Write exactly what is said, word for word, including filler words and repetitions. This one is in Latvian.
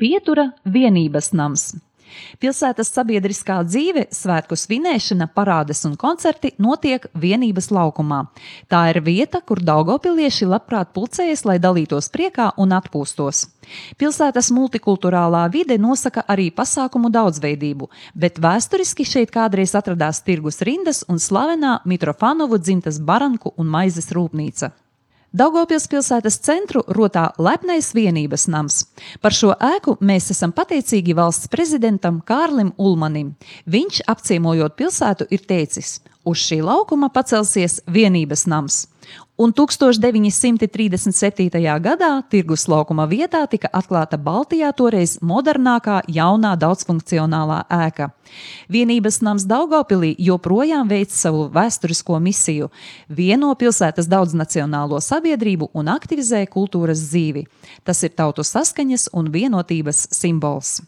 Pietura vienības nams. Pilsētas sabiedriskā dzīve, svētku svinēšana, parādes un koncerti notiek vienības laukumā. Tā ir vieta, kur daugavpilieši labprāt pulcējas, lai dalītos priekā un atpūstos. Pilsētas multikulturālā vide nosaka arī pasākumu daudzveidību, bet vēsturiski šeit kādreiz atradās tirgus rindas un slavenā Mitrofanovu dzimtas baranku un maizes rūpnīca. Daugavpils pilsētas centru rotā lepnais vienības nams. Par šo ēku mēs esam pateicīgi valsts prezidentam Kārlim Ulmanim. Viņš, apciemojot pilsētu, ir teicis: uz šī laukuma pacelsies vienības nams. Un tūkstoš deviņi simti trīsdesmit septītajā gadā tirgus laukuma vietā tika atklāta Baltijā toreiz modernākā, jaunā, daudzfunkcionālā ēka. Vienības nams Daugavpilī joprojām veic savu vēsturisko misiju, vieno pilsētas daudznacionālo sabiedrību un aktivizē kultūras dzīvi. Tas ir tautu saskaņas un vienotības simbols.